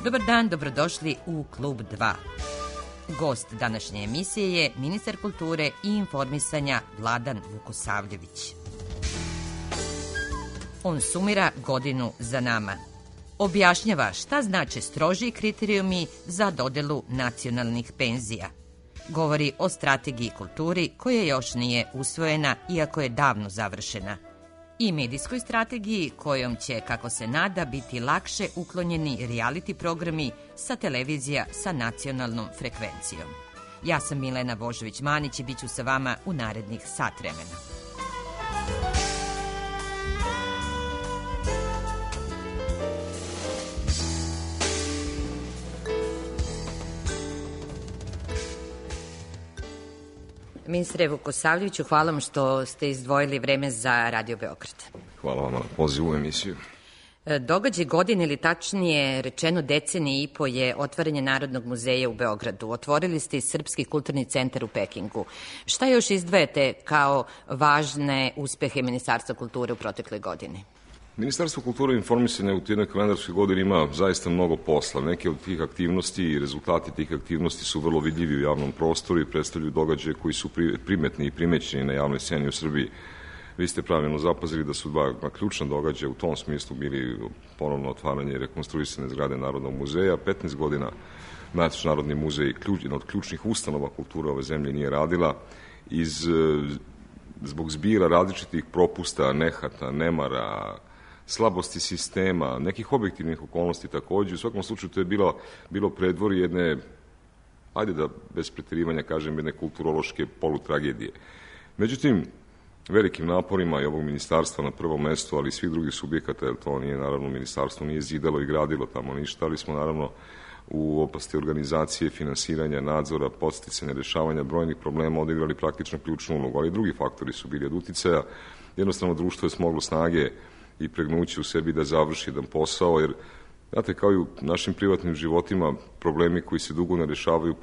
Dobar dan, dobrodošli u Klub 2. Gost današnje emisije je ministar kulture i informisanja Vladan Vukosavljević. On sumira godinu za nama. Objašnjava šta znače strožiji kriterijumi za dodelu nacionalnih penzija. Govori o strategiji kulturi koja još nije usvojena, iako je davno završena. I medijskoj strategiji kojom će, kako se nada, biti lakše uklonjeni reality programi sa televizija sa nacionalnom frekvencijom. Ja sam Milena Božović-Manić i bit ću sa vama u narednih sat vremena. Ministre Vukosavljeviću, hvala vam što ste izdvojili vreme za Radio Beograd. Hvala vam na pozivu u emisiju. Događaj godine, ili tačnije rečeno decenije i po, je otvaranje Narodnog muzeja u Beogradu. Otvorili ste i Srpski kulturni centar u Pekingu. Šta još izdvajate kao važne uspehe Ministarstva kulture u protekloj godini? Ministarstvo kulture i informisanja u jednoj kalendarskoj godini ima zaista mnogo posla. Neke od tih aktivnosti i rezultati tih aktivnosti su vrlo vidljivi u javnom prostoru i predstavljaju događaje koji su primetni i primećeni na javnoj sceni u Srbiji. Vi ste pravilno zapazili da su dva ključna događaja u tom smislu bili ponovno otvaranje i rekonstruisane zgrade Narodnog muzeja. 15 godina naš Narodni muzej, jedna od ključnih ustanova kulture ove zemlje, nije radila zbog zbira različitih propusta, nehata, nemara, slabosti sistema, nekih objektivnih okolnosti takođe. U svakom slučaju to je bilo predvorje jedne, ajde da bez preterivanja kažem, jedne kulturološke polutragedije. Međutim, velikim naporima i ovog ministarstva na prvom mestu, ali i svih drugih subjekata, jer to nije, naravno, ministarstvo nije zidalo i gradilo tamo ništa, ali smo, naravno, u oblasti organizacije, finansiranja, nadzora, podsticanja, rešavanja brojnih problema odigrali praktično ključnu ulogu, ali i drugi faktori su bili od uticaja. Jednostavno, društvo je smoglo snage i pregnuće u sebi da završi jedan posao, jer, znate, kao i u našim privatnim životima, problemi koji se dugo ne rešavaju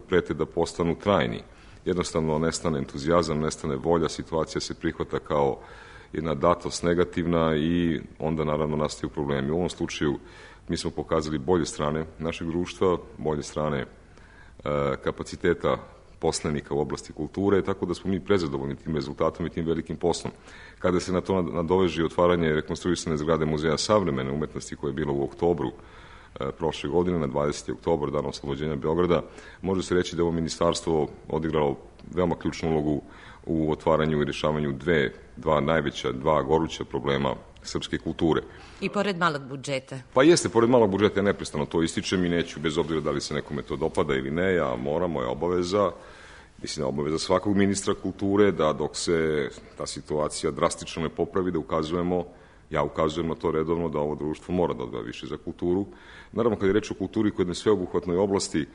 prete da postanu trajni. Jednostavno nestane entuzijazam, nestane volja, situacija se prihvata kao jedna datost negativna i onda naravno nastaju problemi. U ovom slučaju mi smo pokazali bolje strane našeg društva, bolje strane kapaciteta poslanika u oblasti kulture, tako da smo mi prezadovoljni tim rezultatom i tim velikim poslom. Kada se na to nadoveže otvaranje rekonstruisane zgrade Muzeja savremene umetnosti koje je bilo u oktobru prošle godine, na 20. oktobar, dan oslobođenja Beograda, može se reći da je ovo ministarstvo odigralo veoma ključnu ulogu u otvaranju i rešavanju dva goruća problema srpske kulture. I pored malog budžeta? Pa jeste, pored malog budžeta, ja neprestano to ističem i neću, bez obzira da li se nekome to dopada ili ne, ja moram, moja obaveza, mislim da obaveza svakog ministra kulture, da dok se ta situacija drastično ne popravi, da ja ukazujem na to redovno, da ovo društvo mora da odvaja više za kulturu. Naravno, kad je reč o kulturi koja je na sveobuhvatnoj oblasti,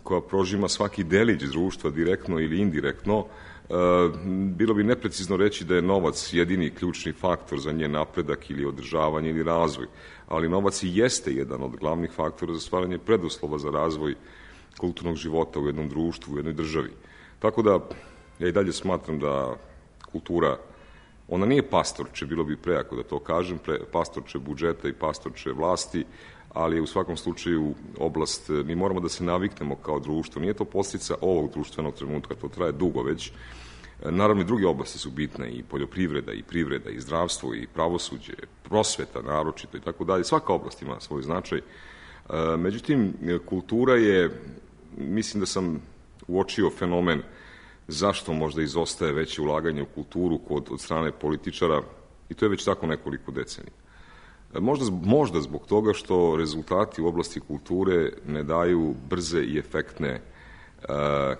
koja prožima svaki delić društva, direktno ili indirektno, bilo bi neprecizno reći da je novac jedini ključni faktor za njen napredak ili održavanje ili razvoj, ali novac i jeste jedan od glavnih faktora za stvaranje preduslova za razvoj kulturnog života u jednom društvu, u jednoj državi. Tako da, ja i dalje smatram da kultura, ona nije pastorče, bilo bi prejako da to kažem, pastorče budžeta i pastorče vlasti, ali je u svakom slučaju oblast, mi moramo da se naviknemo kao društvo. Nije to posljedica ovog društvenog trenutka, to traje dugo već. Naravno i druge oblasti su bitne, i poljoprivreda, i privreda, i zdravstvo, i pravosuđe, prosveta naročito i tako dalje. Svaka oblast ima svoj značaj. Međutim, kultura je, mislim da sam uočio fenomen zašto možda izostaje veće ulaganje u kulturu od strane političara, i to je već tako nekoliko decenija. Možda zbog toga što rezultati u oblasti kulture ne daju brze i efektne,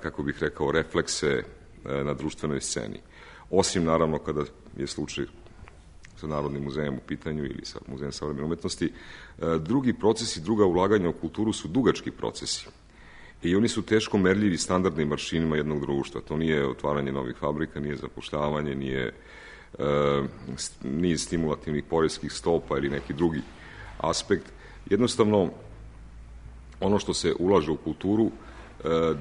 kako bih rekao, reflekse na društvenoj sceni. Osim, naravno, kada je slučaj sa Narodnim muzejem u pitanju ili sa Muzejem savremene umetnosti, drugi procesi, druga ulaganja u kulturu su dugački procesi. I oni su teško merljivi standardnim aršinima jednog društva. To nije otvaranje novih fabrika, nije zapošljavanje, nije stimulativnih poreskih stopa ili neki drugi aspekt. Jednostavno, ono što se ulaže u kulturu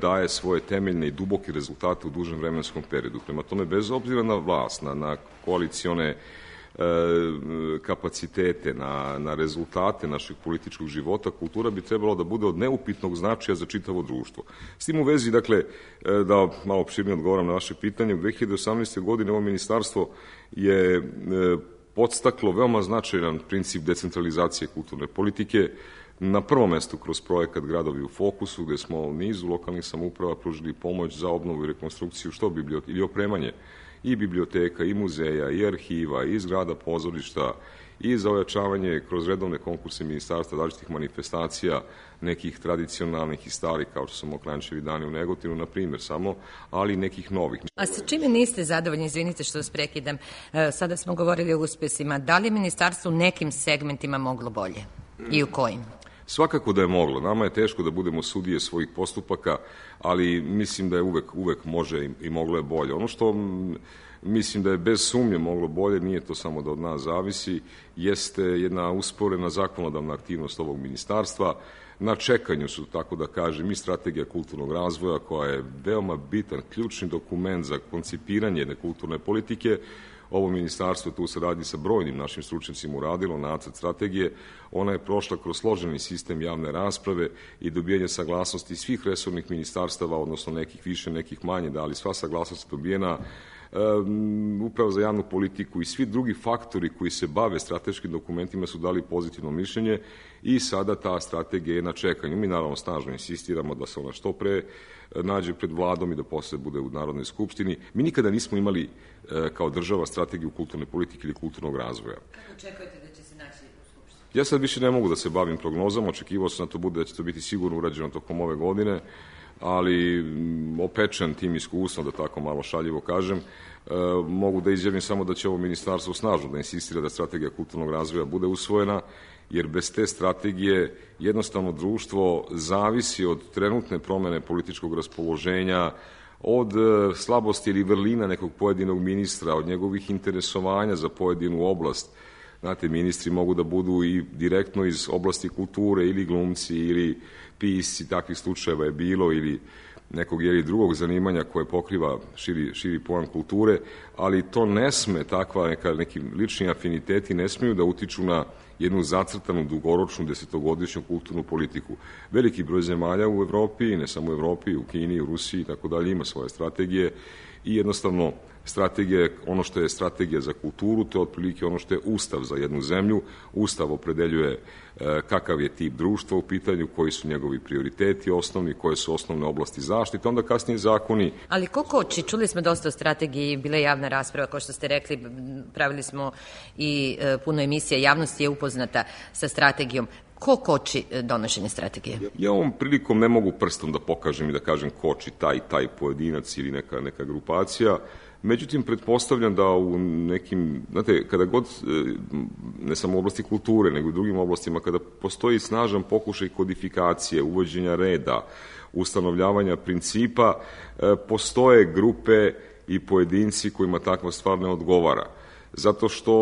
daje svoje temeljne i duboke rezultate u dužem vremenskom periodu. Prema tome, bez obzira na vlast, na koalicione kapacitete, na rezultate našeg političkog života, kultura bi trebalo da bude od neupitnog značaja za čitavo društvo. S tim u vezi, dakle, da malo opširnije odgovoram na vaše pitanje, u 2018. godine ovo ministarstvo je podstaklo veoma značajan princip decentralizacije kulturne politike, na prvom mestu kroz projekat Gradovi u fokusu, gde smo nizu lokalnih samouprava pružili pomoć za obnovu i rekonstrukciju ili opremanje i biblioteka, i muzeja, i arhiva, i zgrada pozorišta, i za ojačavanje kroz redovne konkurse ministarstva različitih manifestacija, nekih tradicionalnih i starih, kao što su Mokranjčevi dani u Negotinu, na primjer samo, ali i nekih novih. A sa čime niste zadovoljni, izvinite što vas prekidam, sada smo govorili o uspesima, da li je ministarstvo u nekim segmentima moglo bolje i u kojim? Svakako da je moglo. Nama je teško da budemo sudije svojih postupaka, ali mislim da je uvek može i moglo je bolje. Ono što mislim da je bez sumnje moglo bolje, nije to samo da od nas zavisi, jeste jedna usporena zakonodavna aktivnost ovog ministarstva. Na čekanju su, tako da kažem, i strategija kulturnog razvoja, koja je veoma bitan, ključni dokument za koncipiranje jedne kulturne politike. Ovo ministarstvo tu se radi sa brojnim našim stručnicima uradilo nacrt strategije. Ona je prošla kroz složeni sistem javne rasprave i dobijanje saglasnosti svih resornih ministarstava, odnosno nekih više, nekih manje, da li sva saglasnost je dobijena Uprava za javnu politiku i svi drugi faktori koji se bave strateškim dokumentima su dali pozitivno mišljenje i sada ta strategija je na čekanju. Mi naravno snažno insistiramo da se ona što pre nađe pred vladom i da posle bude u Narodnoj skupštini. Mi nikada nismo imali kao država strategiju kulturne politike ili kulturnog razvoja. Kako očekujete da će se naći u skupštini? Ja sad više ne mogu da se bavim prognozama, očekivao sam da će to biti sigurno urađeno tokom ove godine, ali opečen tim iskustvom, da tako malo šaljivo kažem, mogu da izjavim samo da će ovo ministarstvo snažno da insistira da strategija kulturnog razvoja bude usvojena, jer bez te strategije jednostavno društvo zavisi od trenutne promene političkog raspoloženja, od slabosti ili vrlina nekog pojedinog ministra, od njegovih interesovanja za pojedinu oblast. Znate, ministri mogu da budu i direktno iz oblasti kulture ili glumci ili pisci, takvih slučajeva je bilo, ili nekog drugog zanimanja koje pokriva širi pojam kulture, ali to ne sme, neki lični afiniteti ne smiju da utiču na jednu zacrtanu, dugoročnu, desetogodišnju kulturnu politiku. Veliki broj zemalja u Evropi, ne samo u Evropi, u Kini, u Rusiji i tako dalje, ima svoje strategije i jednostavno strategija je ono što je strategija za kulturu, to je otprilike ono što je ustav za jednu zemlju. Ustav opredeljuje kakav je tip društva u pitanju, koji su njegovi prioriteti osnovni, koje su osnovne oblasti zaštite, onda kasnije zakoni. Ali ko koči? Čuli smo dosta o strategiji, bila je javna rasprava, kao što ste rekli, pravili smo i puno emisija, javnost je upoznata sa strategijom. Ko koči donošenje strategije? Ja ovom prilikom ne mogu prstom da pokažem i da kažem koči taj pojedinac ili neka grupacija. Međutim, pretpostavljam da u nekim, znate, kada god, ne samo u oblasti kulture, nego i u drugim oblastima, kada postoji snažan pokušaj kodifikacije, uvođenja reda, ustanovljavanja principa, postoje grupe i pojedinci kojima takva stvar ne odgovara. Zato što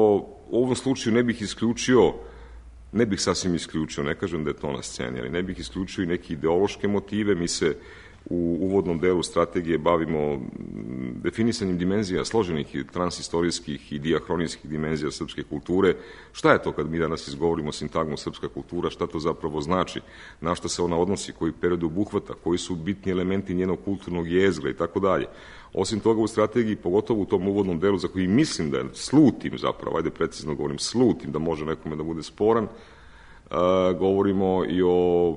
u ovom slučaju ne bih sasvim isključio, ne kažem da je to na sceni, ali ne bih isključio i neke ideološke motive. Mi se u uvodnom delu strategije bavimo definisanjem dimenzija složenih i transistorijskih i diahronijskih dimenzija srpske kulture. Šta je to kad mi danas izgovorimo sintagmu srpska kultura, šta to zapravo znači, na šta se ona odnosi, koji period obuhvata, koji su bitni elementi njenog kulturnog jezgra i tako dalje. Osim toga u strategiji, pogotovo u tom uvodnom delu za koji mislim da je slutim zapravo, ajde precizno govorim, slutim da može nekome da bude sporan, govorimo i o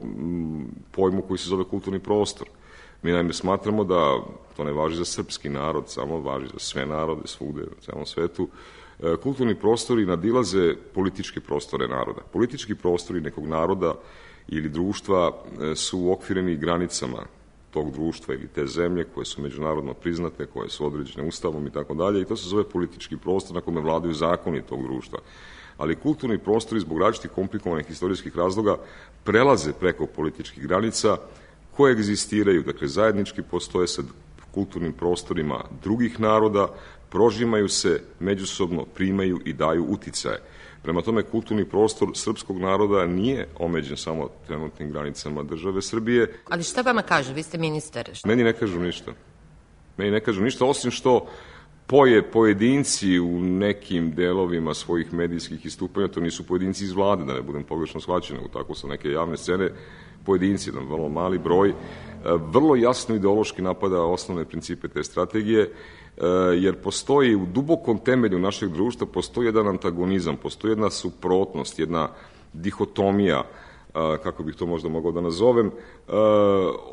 pojmu koji se zove kulturni prostor. Mi naime smatramo da to ne važi za srpski narod, samo važi za sve narode, svugde, u celom svetu. Kulturni prostori nadilaze političke prostore naroda. Politički prostori nekog naroda ili društva su uokvireni granicama tog društva ili te zemlje koje su međunarodno priznate, koje su određene ustavom i tako dalje, i to se zove politički prostor na kome vladaju zakoni tog društva. Ali kulturni prostori zbog različitih komplikovanih istorijskih razloga prelaze preko političkih granica, koje egzistiraju, dakle zajednički postoje sa kulturnim prostorima drugih naroda, prožimaju se, međusobno primaju i daju uticaje. Prema tome, kulturni prostor srpskog naroda nije omeđen samo trenutnim granicama države Srbije. Ali šta vama kažu? Vi ste ministar. Meni ne kažu ništa. Osim što pojedinci u nekim delovima svojih medijskih istupanja, to nisu pojedinci iz vlade, da ne budem pogrešno shvaćen, nego tako su neke javne scene, pojedinci, jedan vrlo mali broj, vrlo jasno ideološki napada osnovne principe te strategije, jer postoji u dubokom temelju našeg društva, postoji jedan antagonizam, postoji jedna suprotnost, jedna dihotomija, kako bih to možda mogao da nazovem,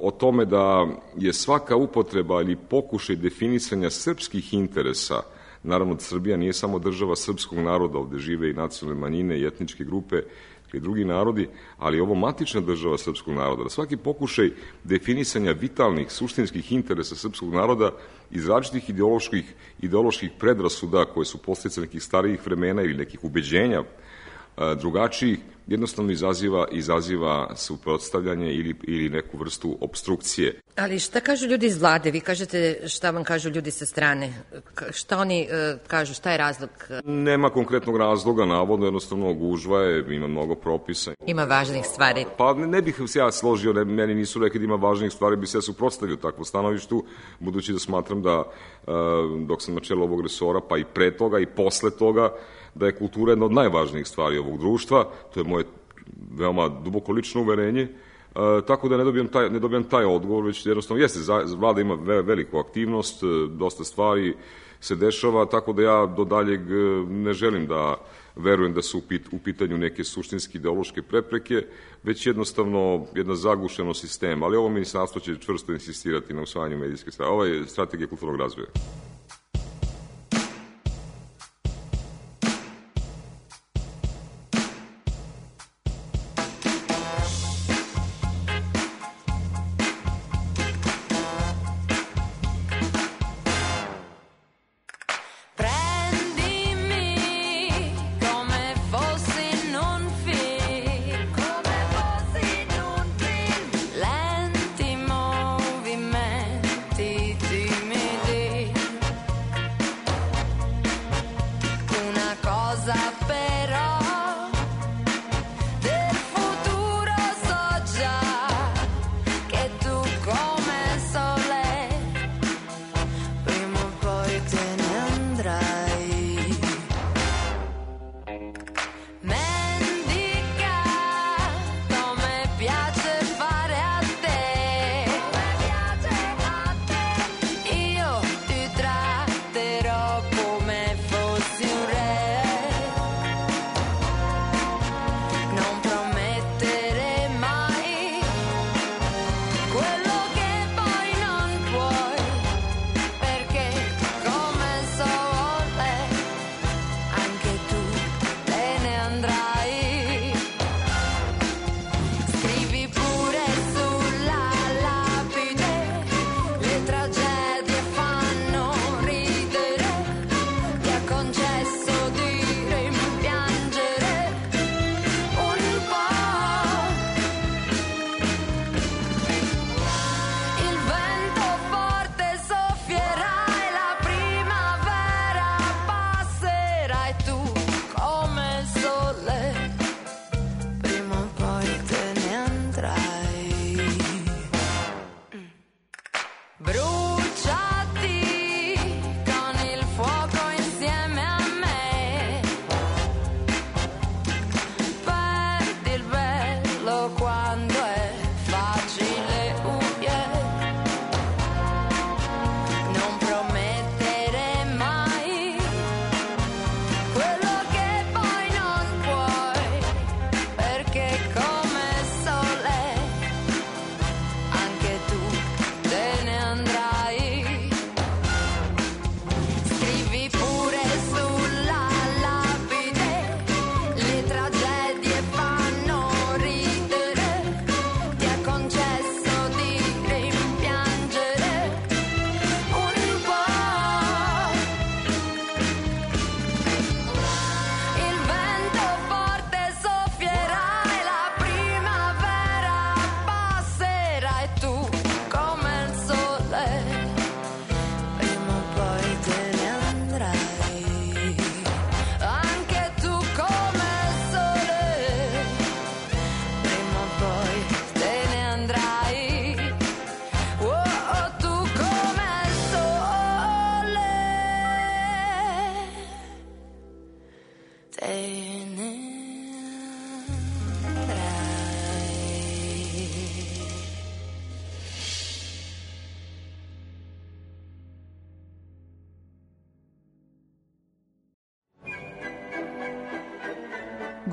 o tome da je svaka upotreba ili pokušaj definisanja srpskih interesa, naravno Srbija nije samo država srpskog naroda, ovde žive i nacionalne manjine i etničke grupe i drugi narodi, ali ovo matična država srpskog naroda, da svaki pokušaj definisanja vitalnih, suštinskih interesa srpskog naroda iz različitih ideoloških predrasuda koje su posljedice nekih starijih vremena ili nekih ubeđenja drugačijih, jednostavno izaziva suprotstavljanje ili neku vrstu obstrukcije. Ali šta kažu ljudi iz vlade? Vi kažete šta vam kažu ljudi sa strane. Šta oni kažu? Šta je razlog? Nema konkretnog razloga, navodno, jednostavno gužva je, ima mnogo propisa. Ima važnih stvari. Pa ne bih se ja složio, meni nisu rekli da ima važnih stvari, bi se ja suprotstavio takvo stanovištu, budući da smatram da dok sam na čelu ovog resora, pa i pre toga i posle toga, da je kultura jedna od najvažnijih stvari ovog društva, to je moje veoma duboko lično uverenje, tako da ne dobijam taj odgovor, već jednostavno jeste, vlada ima veliku aktivnost, dosta stvari se dešava, tako da ja do daljeg ne želim da verujem da su u pitanju neke suštinske ideološke prepreke, već jednostavno jedna zagušenost sistema, ali ovo ministarstvo će čvrsto insistirati na usvajanju medijske strategije kulturnog razvoja.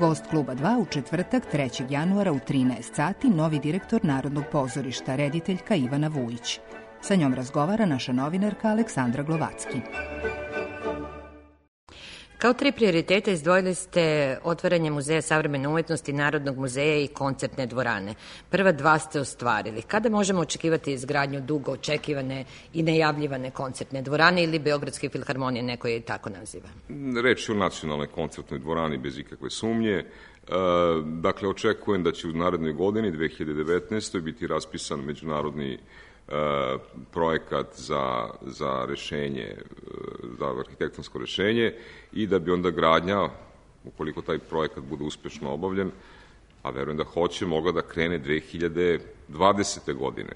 Gost Kluba 2 u četvrtak 3. januara u 13 sati novi direktor Narodnog pozorišta, rediteljka Ivana Vujić. Sa njom razgovara naša novinarka Aleksandra Glovacki. Kao 3 prioriteta izdvojili ste otvaranje Muzeja savremene umetnosti, Narodnog muzeja i koncertne dvorane. Prva 2 ste ostvarili. Kada možemo očekivati izgradnju dugo očekivane i najavljivane koncertne dvorane ili Beogradske filharmonije, neko je i tako naziva? Reč je o nacionalnoj koncertnoj dvorani bez ikakve sumnje. Dakle, očekujem da će u narednoj godini, 2019. biti raspisan međunarodni projekat za rešenje, za arhitektonsko rešenje i da bi onda gradnja, ukoliko taj projekat bude uspešno obavljen, a verujem da hoće, mogla da krene 2020. godine.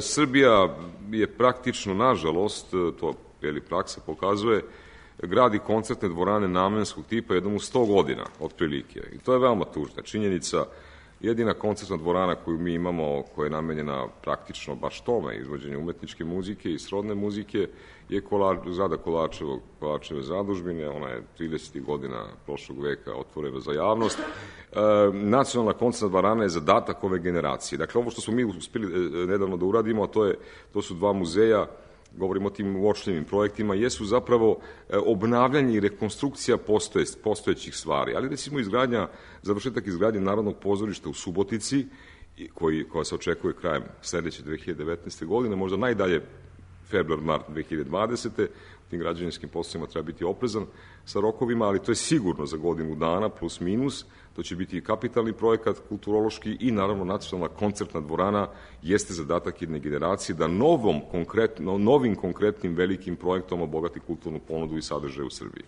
Srbija je praktično, nažalost, to praksa pokazuje, gradi koncertne dvorane namenskog tipa jednom u 100 godina, otprilike. I to je veoma tužna činjenica. Jedina koncertna dvorana koju mi imamo, koja je namenjena praktično baš tome, izvođenju umetničke muzike i srodne muzike, je zgrada Kolarčeve zadužbine. Ona je 30. godina prošlog veka otvorena za javnost. Nacionalna koncertna dvorana je zadatak ove generacije. Dakle, ovo što smo mi uspeli nedavno da uradimo, a to su 2 muzeja, govorimo o tim uočljivim projektima, jesu zapravo obnavljanje i rekonstrukcija postojećih stvari. Ali recimo završetak izgradnje Narodnog pozorišta u Subotici, koja se očekuje krajem sledeće 2019. godine, možda najdalje februar-mart 2020. U tim građevinskim poslovima treba biti oprezan sa rokovima, ali to je sigurno za godinu dana, plus minus. To će biti i kapitalni projekat, kulturološki i naravno nacionalna koncertna dvorana jeste zadatak jedne generacije da novim konkretnim velikim projektom obogati kulturnu ponudu i sadržaj u Srbiji.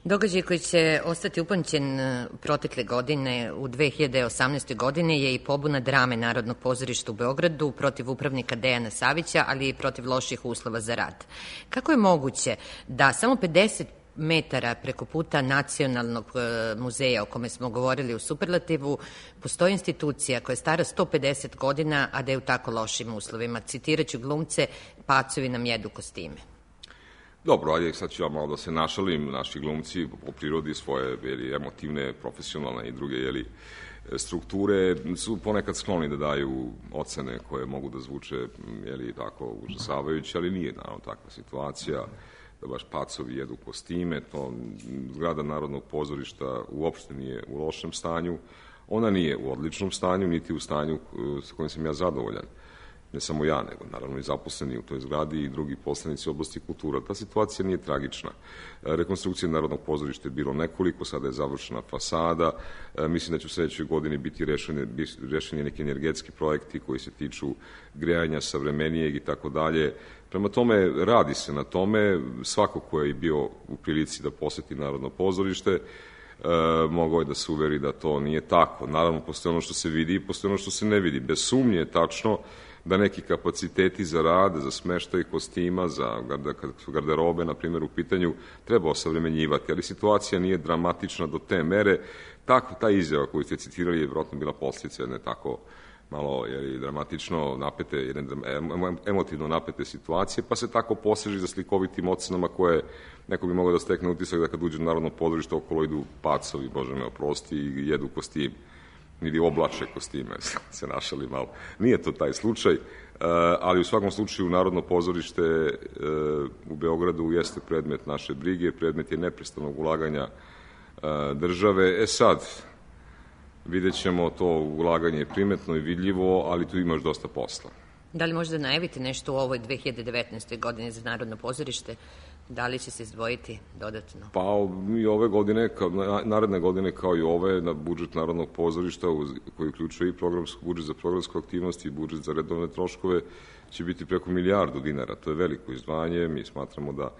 Događaj koji će ostati upamćen protekle godine, u 2018. godine, je i pobuna drame Narodnog pozorišta u Beogradu protiv upravnika Dejana Savića, ali i protiv loših uslova za rad. Kako je moguće da samo 50 metara preko puta Nacionalnog muzeja, o kome smo govorili u superlativu, postoji institucija koja je stara 150 godina, a da je u tako lošim uslovima? Citiraću glumce: pacovi nam jedu kostime. Dobro, ajde, sad ću ja malo da se našalim. Naši glumci po prirodi svoje emotivne, profesionalne i druge strukture su ponekad skloni da daju ocene koje mogu da zvuče tako užasavajuće, ali nije naravno takva situacija da baš pacovi jedu kostime. Zgrada Narodnog pozorišta uopšte nije u lošem stanju. Ona nije u odličnom stanju, niti u stanju sa kojim sam ja zadovoljan. Ne samo ja, nego naravno i zaposleni u toj zgradi i drugi poslanici u oblasti kultura. Ta situacija nije tragična. Rekonstrukcija Narodnog pozorišta je bilo nekoliko, sada je završena fasada. Mislim da će u sledećoj godini biti rešeni neki energetski projekti koji se tiču grejanja savremenijeg i tako dalje. Prema tome, radi se na tome. Svako ko je bio u prilici da poseti Narodno pozorište mogao je da se uveri da to nije tako. Naravno, postoje ono što se vidi i postoje ono što se ne vidi. Bez sumnje je tačno da neki kapaciteti za rad, za smeštaj kostima, za garderobe, na primjer, u pitanju, treba osavremenjivati, ali situacija nije dramatična do te mere. Ta izjava koju ste citirali je vjerojatno bila posljedica jedne tako malo dramatično napete, jedne emotivno napete situacije, pa se tako poseže za slikovitim ocenama koje neko bi mogao da stekne utisak da kad uđe u Narodno pozorište okolo idu pacovi, Bože me oprosti, i jedu kostim ili oblače kostime, se našali malo. Nije to taj slučaj, ali u svakom slučaju Narodno pozorište u Beogradu jeste predmet naše brige, predmet je neprestanog ulaganja države. Sad, vidjet ćemo, to ulaganje je primetno i vidljivo, ali tu imaš dosta posla. Da li možda najaviti nešto u ovoj 2019. godini za Narodno pozorište? Da li će se izdvojiti dodatno? Pa i ove godine, naredne godine kao i ove, na budžet Narodnog pozorišta, koji uključuje i budžet za programsku aktivnost i budžet za redovne troškove, će biti preko 1 milijardu dinara. To je veliko izdvajanje. Mi smatramo da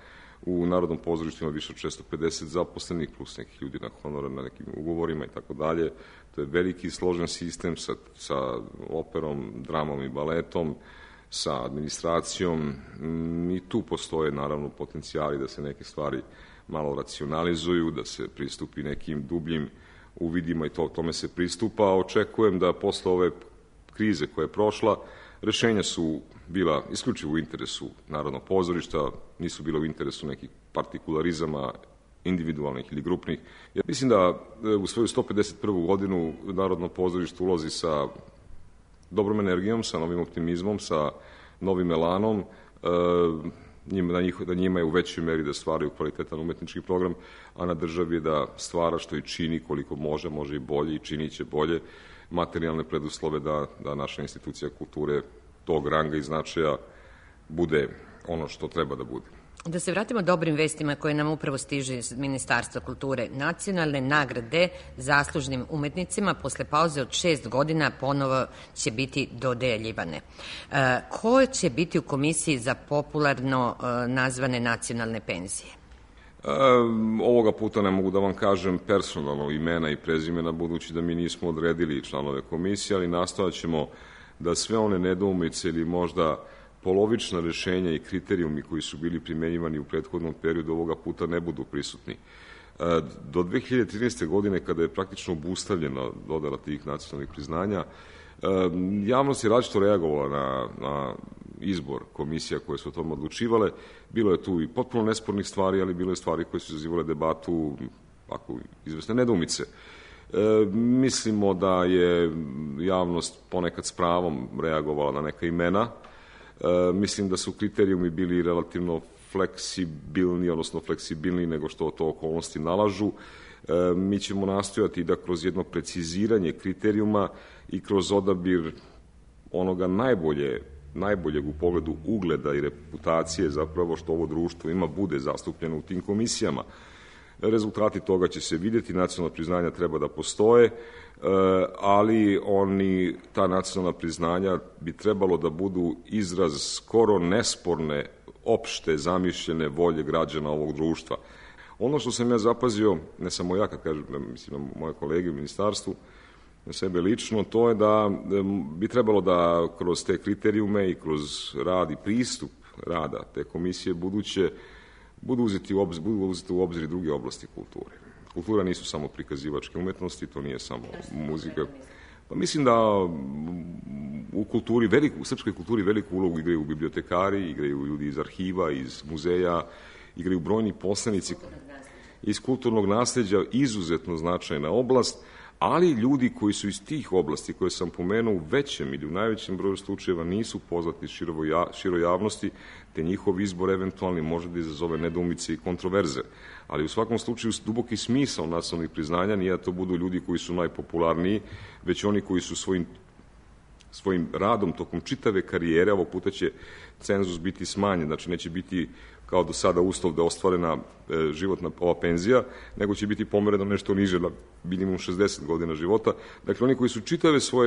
u Narodnom pozorištu ima više od 650 zaposlenih, plus nekih ljudi na honora, na nekim ugovorima i tako dalje. To je veliki složen sistem sa operom, dramom i baletom, sa administracijom. I tu postoje naravno potencijali da se neke stvari malo racionalizuju, da se pristupi nekim dubljim uvidima i tome se pristupa. Očekujem da posle ove krize koja je prošla, rešenja su bila isključivo u interesu Narodnog pozorišta, nisu bila u interesu nekih partikularizama individualnih ili grupnih. Ja mislim da u svoju 151. godinu Narodno pozorište ulazi sa dobrom energijom, sa novim optimizmom, sa novim elanom, da njima je u većoj meri da stvaraju kvalitetan umetnički program, a na državi je da stvara što i čini koliko može i bolje i činit će bolje materijalne preduslove da naša institucija kulture tog ranga i značaja bude ono što treba da bude. Da se vratimo dobrim vestima koje nam upravo stiže iz Ministarstva kulture. Nacionalne nagrade zaslužnim umetnicima posle pauze od 6 godina ponovo će biti dodeljivane. Ko će biti u komisiji za popularno nazvane nacionalne penzije? Ovoga puta ne mogu da vam kažem personalno imena i prezimena, budući da mi nismo odredili članove komisije, ali nastojat ćemo da sve one nedoumice ili možda polovična rešenja i kriterijumi koji su bili primenjivani u prethodnom periodu ovoga puta ne budu prisutni. Do 2013. godine, kada je praktično obustavljena dodela tih nacionalnih priznanja, javnost je različito reagovala na izbor komisija koje su o tom odlučivale. Bilo je tu i potpuno nespornih stvari, ali bilo je stvari koje su izazivale debatu, ako izvesne nedoumice. Mislimo da je javnost ponekad s pravom reagovala na neka imena. Mislim da su kriterijumi bili relativno fleksibilni, odnosno fleksibilniji nego što to okolnosti nalažu. Mi ćemo nastojati da kroz jedno preciziranje kriterijuma i kroz odabir onoga najboljeg u pogledu ugleda i reputacije zapravo što ovo društvo ima bude zastupljeno u tim komisijama. Rezultati toga će se vidjeti, nacionalna priznanja treba da postoje, ali ta nacionalna priznanja bi trebalo da budu izraz skoro nesporne, opšte zamišljene volje građana ovog društva. Ono što sam ja zapazio, ne samo ja kad kažem, mislim na moje kolege u ministarstvu, na sebe lično, to je da bi trebalo da kroz te kriterijume i kroz rad i pristup rada te komisije buduće budu uzeti u obzir druge oblasti kulture. Kultura nisu samo prikazivačke umetnosti, to nije samo muzika. Pa mislim da u srpskoj kulturi veliku ulogu igraju bibliotekari, igraju ljudi iz arhiva, iz muzeja, igraju brojni poslanici iz kulturnog nasleđa, izuzetno značajna oblast, ali ljudi koji su iz tih oblasti koje sam pomenuo u većem ili u najvećem broju slučajeva nisu poznati široj javnosti, te njihov izbor eventualni može da izazove nedoumice i kontroverze. Ali u svakom slučaju duboki smisao nacionalnih priznanja nije da to budu ljudi koji su najpopularniji, već oni koji su svojim radom tokom čitave karijere, ovog puta će cenzus biti smanjen, znači neće biti kao do sada uslov da je ostvarena životna ova penzija, nego će biti pomereno nešto niže na minimum 60 godina života. Dakle, oni koji su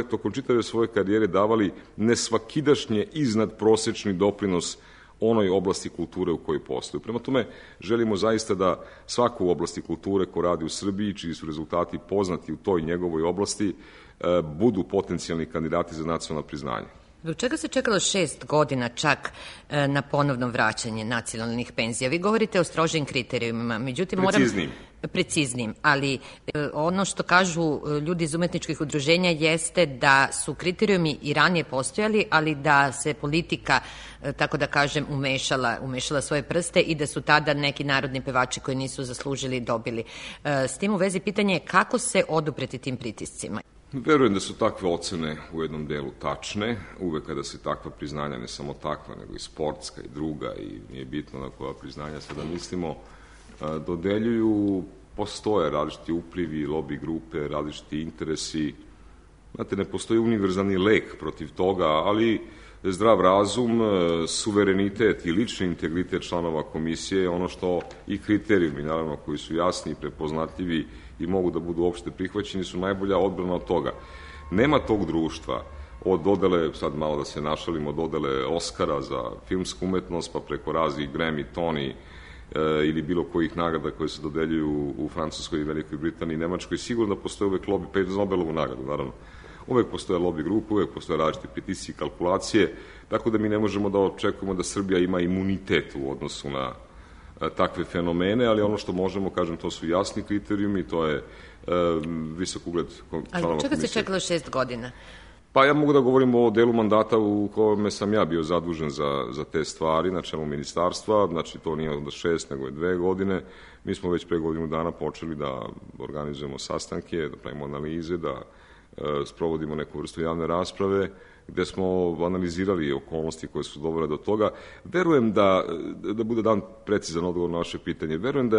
tokom čitave svoje karijere davali nesvakidašnje iznad prosečni doprinos onoj oblasti kulture u kojoj postoju. Prema tome, želimo zaista da svako u oblasti kulture ko radi u Srbiji, čiji su rezultati poznati u toj njegovoj oblasti, budu potencijalni kandidati za nacionalno priznanje. Zbog čega se čekalo 6 godina čak na ponovno vraćanje nacionalnih penzija? Vi govorite o strožim kriterijumima, međutim preciznijim, ali ono što kažu ljudi iz umetničkih udruženja jeste da su kriterijumi i ranije postojali, ali da se politika, tako da kažem, umešala svoje prste i da su tada neki narodni pevači koji nisu zaslužili dobili. S tim u vezi pitanje je kako se odupreti tim pritiscima? Verujem da su takve ocene u jednom delu tačne, uvek kada se takva priznanja, ne samo takva, nego i sportska i druga, i nije bitno na koja priznanja sada mislimo, dodeljuju, postoje različiti uplivi, lobby grupe, različiti interesi. Znate, ne postoji univerzalni lek protiv toga, ali zdrav razum, suverenitet i lični integritet članova komisije je ono što i kriterijumi, naravno, koji su jasni i prepoznatljivi i mogu da budu opšte prihvaćeni, su najbolja odbrana od toga. Nema tog društva od dodele, sad malo da se našalimo, dodele Oscara za filmsku umetnost, pa preko raznih Grammy, Tony ili bilo kojih nagrada koje se dodeljuju u Francuskoj, Velikoj Britaniji i Nemačkoj, sigurno da postoje uvek lobby, pa i za Nobelovu nagradu, naravno. Uvek postoje lobby grupe, uvek postoje različite pritisci i kalkulacije, tako da mi ne možemo da očekujemo da Srbija ima imunitet u odnosu na takve fenomene, ali ono što možemo, kažem, to su jasni kriterijumi, to je visok ugled članova komisije. Ali čega se čekalo 6 godina? Pa ja mogu da govorim o delu mandata u kome sam ja bio zadužen za te stvari na čelu ministarstva, znači to nije onda 6, nego je 2 godine. Mi smo već pre godinu dana počeli da organizujemo sastanke, da pravimo analize, da sprovodimo neku vrstu javne rasprave, gde smo analizirali okolnosti koje su dovele do toga. Verujem da bude dan precizan odgovor na vaše pitanje, verujem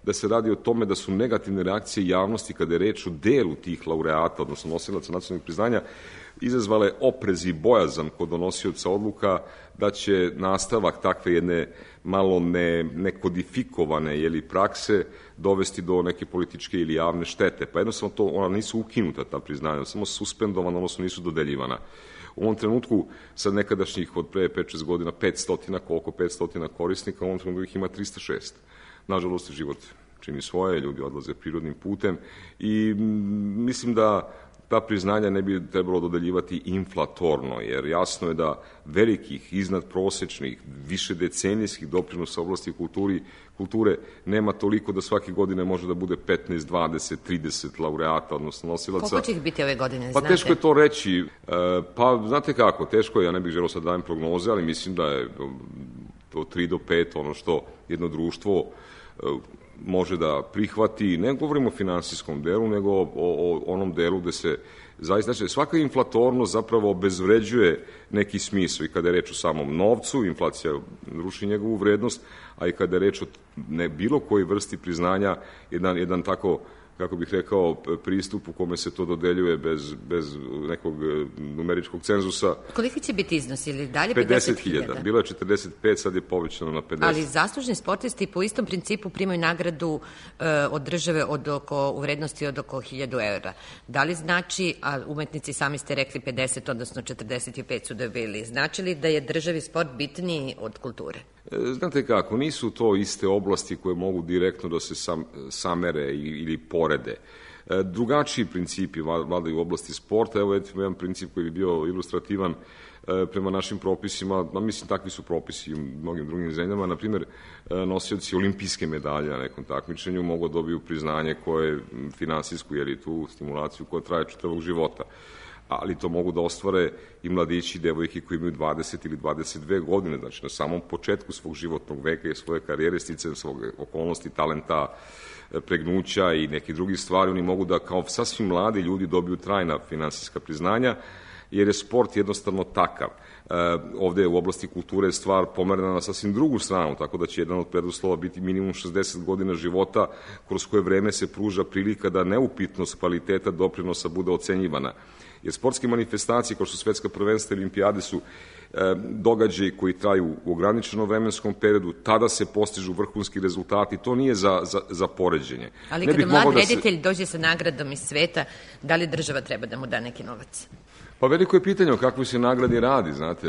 da se radi o tome da su negativne reakcije javnosti kada je reč o delu tih laureata, odnosno nosilaca nacionalnih priznanja, izazvale oprez i bojazan kod donosioca odluka da će nastavak takve jedne malo nekodifikovane prakse dovesti do neke političke ili javne štete. Pa jednostavno ona nisu ukinuta, ta priznanja, samo suspendovana, odnosno nisu dodeljivana. U ovom trenutku, sad nekadašnjih od pre 5-6 godina, 500 korisnika, u ovom trenutku ih ima 306. Nažalost, život čini svoje, ljudi odlaze prirodnim putem i mislim da ta priznanja ne bi trebalo dodeljivati inflatorno, jer jasno je da velikih, iznadprosečnih, višedecenijskih doprinosa u oblasti kulture nema toliko da svake godine može da bude 15, 20, 30 laureata, odnosno nosilaca. Koliko će ih biti ove godine, znate? Pa teško je to reći. Pa, znate kako, teško je, ja ne bih želeo sad dajem prognoze, ali mislim da je to 3 do 5 ono što jedno društvo može da prihvati, ne govorimo o finansijskom delu, nego o onom delu gde se zaista, znači svaka inflatornost zapravo obezvređuje neki smisao i kada je reč o samom novcu, inflacija ruši njegovu vrednost, a i kada je reč o bilo kojoj vrsti priznanja, jedan tako, kako bih rekao, pristup u kome se to dodeljuje bez nekog numeričkog cenzusa. Koliki će biti iznos ili dalje? 50.000. Bilo je 45, sad je povećano na 50. Ali zaslužni sportisti po istom principu primaju nagradu od države u vrednosti od oko 1.000 evra. Da li znači, a umetnici sami ste rekli 50, odnosno 45 su dobili, znači li da je državi sport bitniji od kulture? Znate kako, nisu to iste oblasti koje mogu direktno da se samere ili porede. Drugačiji principi vladaju u oblasti sporta. Evo jedan princip koji bi bio ilustrativan prema našim propisima, mislim takvi su propisi u mnogim drugim zemljama. Na primjer, nosioci olimpijske medalje na nekom takmičenju mogu da dobiju priznanje koje finansijsku, jer i tu stimulaciju koja traje čitavog života. Ali to mogu da ostvare i mladići i devojke koji imaju 20 ili 22 godine, znači na samom početku svog životnog veka i svoje karijere, sticajem svog okolnosti, talenta, pregnuća i nekih drugih stvari, oni mogu da kao sasvim mladi ljudi dobiju trajna finansijska priznanja, jer je sport jednostavno takav. Ovde u oblasti kulture je stvar pomerena na sasvim drugu stranu, tako da će jedan od preduslova biti minimum 60 godina života, kroz koje vreme se pruža prilika da neupitnost kvaliteta doprinosa bude ocenjivana. Jer sportske manifestacije, kao što su svetska prvenstva i olimpijade, su događaji koji traju u ograničenom vremenskom periodu, tada se postižu vrhunski rezultati, to nije za poređenje. Ali kada mlad reditelj dođe sa nagradom iz sveta, da li država treba da mu da neki novac? Pa veliko je pitanje o kakvoj se nagradi radi, znate,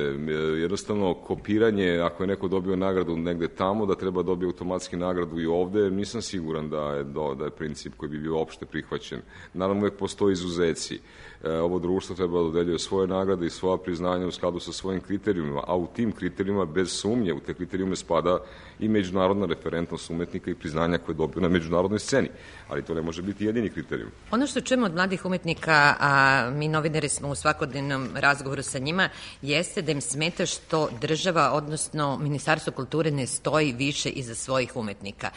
jednostavno kopiranje, ako je neko dobio nagradu negde tamo, da treba dobiti automatski nagradu i ovde, nisam siguran da je princip koji bi bio opšte prihvaćen. Naravno, uvek postoji izuzeci. Ovo društvo treba da dodeljuje svoje nagrade i svoja priznanja u skladu sa svojim kriterijumima, a u tim kriterijumima, bez sumnje, u te kriterijume spada i međunarodna referentnost umetnika i priznanja koje dobiju na međunarodnoj sceni, ali to ne može biti jedini kriterijum. Ono što čujemo od mladih umetnika, a mi novinari smo u svakodnevnom razgovoru sa njima, jeste da im smeta što država, odnosno Ministarstvo kulture ne stoji više iza svojih umetnika.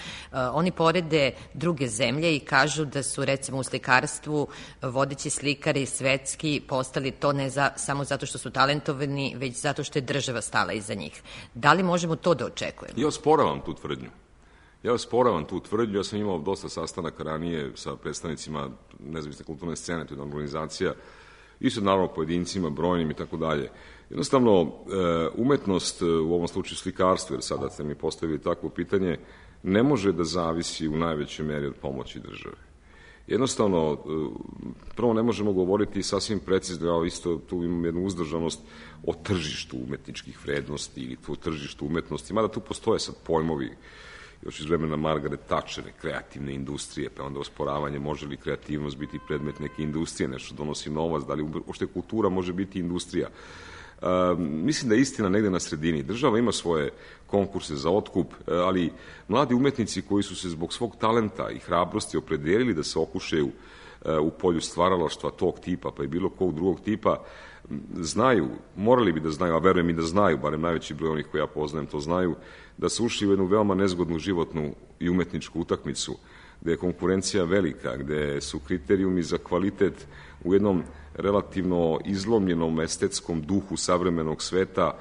Oni porede druge zemlje i kažu da su, recimo, u slikarstvu vodeći slikari svetski postali to ne samo zato što su talentovani, već zato što je država stala iza njih. Da li možemo to da očekujemo? Ja osporavam tu tvrdnju. Ja sam imao dosta sastanaka ranije sa predstavnicima nezavisne kulturne scene, to je jedna organizacija, i sa naravno pojedincima, brojnim i tako dalje. Jednostavno, umetnost, u ovom slučaju slikarstvo, jer sada ste mi postavili takvo pitanje, ne može da zavisi u najvećoj meri od pomoći države. Jednostavno, prvo ne možemo govoriti sasvim precizno, ja isto tu imam jednu uzdržanost o tržištu umetničkih vrednosti ili o tržištu umetnosti, mada tu postoje sad pojmovi još iz vremena Margaret Thatcher, kreativne industrije, pa onda osporavanje može li kreativnost biti predmet neke industrije, nešto donosi novac, da li uopšte kultura može biti industrija. Mislim da je istina negde na sredini. Država ima svoje konkurse za otkup, ali mladi umetnici koji su se zbog svog talenta i hrabrosti opredelili da se okušaju u polju stvaralaštva tog tipa, pa i bilo kog drugog tipa, znaju, morali bi da znaju, a verujem i da znaju, barem najveći broj onih koje ja poznajem to znaju, da su ušli u jednu veoma nezgodnu životnu i umetničku utakmicu, gde je konkurencija velika, gde su kriterijumi za kvalitet u jednom relativno izlomljenom estetskom duhu savremenog sveta